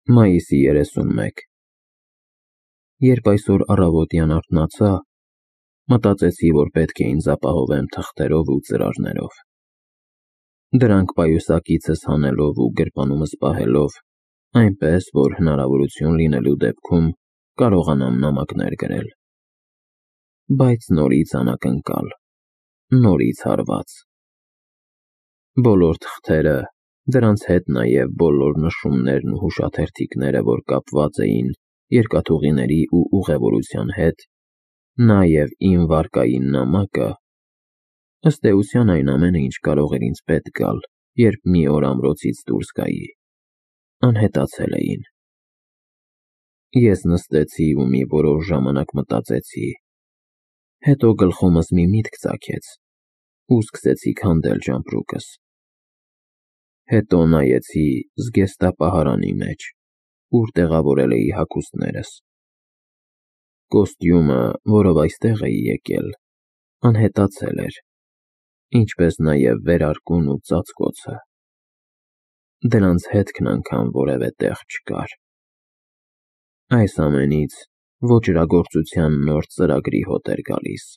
Մայիսի 31 Երբ այսօր առավոտյան արթնացա, մտածեցի, որ պետք է ինձ ապահովեմ թղթերով ու ծրարներով։ Դրանք պայուսակիցս հանելով ու գրպանումս պահելով, այնպես, որ հնարավորություն լինելու դեպքում կարողանամ նամակներ գրել։ Բայց նորից անակնկալ, նորից հարված։ Բոլոր թղթերը, դրանց հետ նաև բոլոր նշումներն ու հուշաթերթիկները, որ կապված էին երկաթուղիների ու ուղևորության հետ, նաև իմ վարկային նամակը, ըստ էության այն ամենը, ինչ կարող էր ինձ պետք գալ, երբ մի օր ամրոցից դուրս գայի, անհետացել էին։ Ես նստեցի ու մի որոշ ժամանակ մտածեցի, հետո գլխումս մի միտք ծագեց ու սկսեցի քանդել ճամպրուկս։ Հետո նայեցի զգեստապահարանի մեջ, ուր տեղավորել էի հագուստներս։ Կոստյումը, որով այստեղ էի եկել, անհետացել էր, ինչպես նաև վերարկուն ու ծածկոցը։ Դրանց հետքն անգամ որևէ տեղ չկար։ Այս ամենից ոճրագործության նոր ծրագրի հոտ էր գալիս։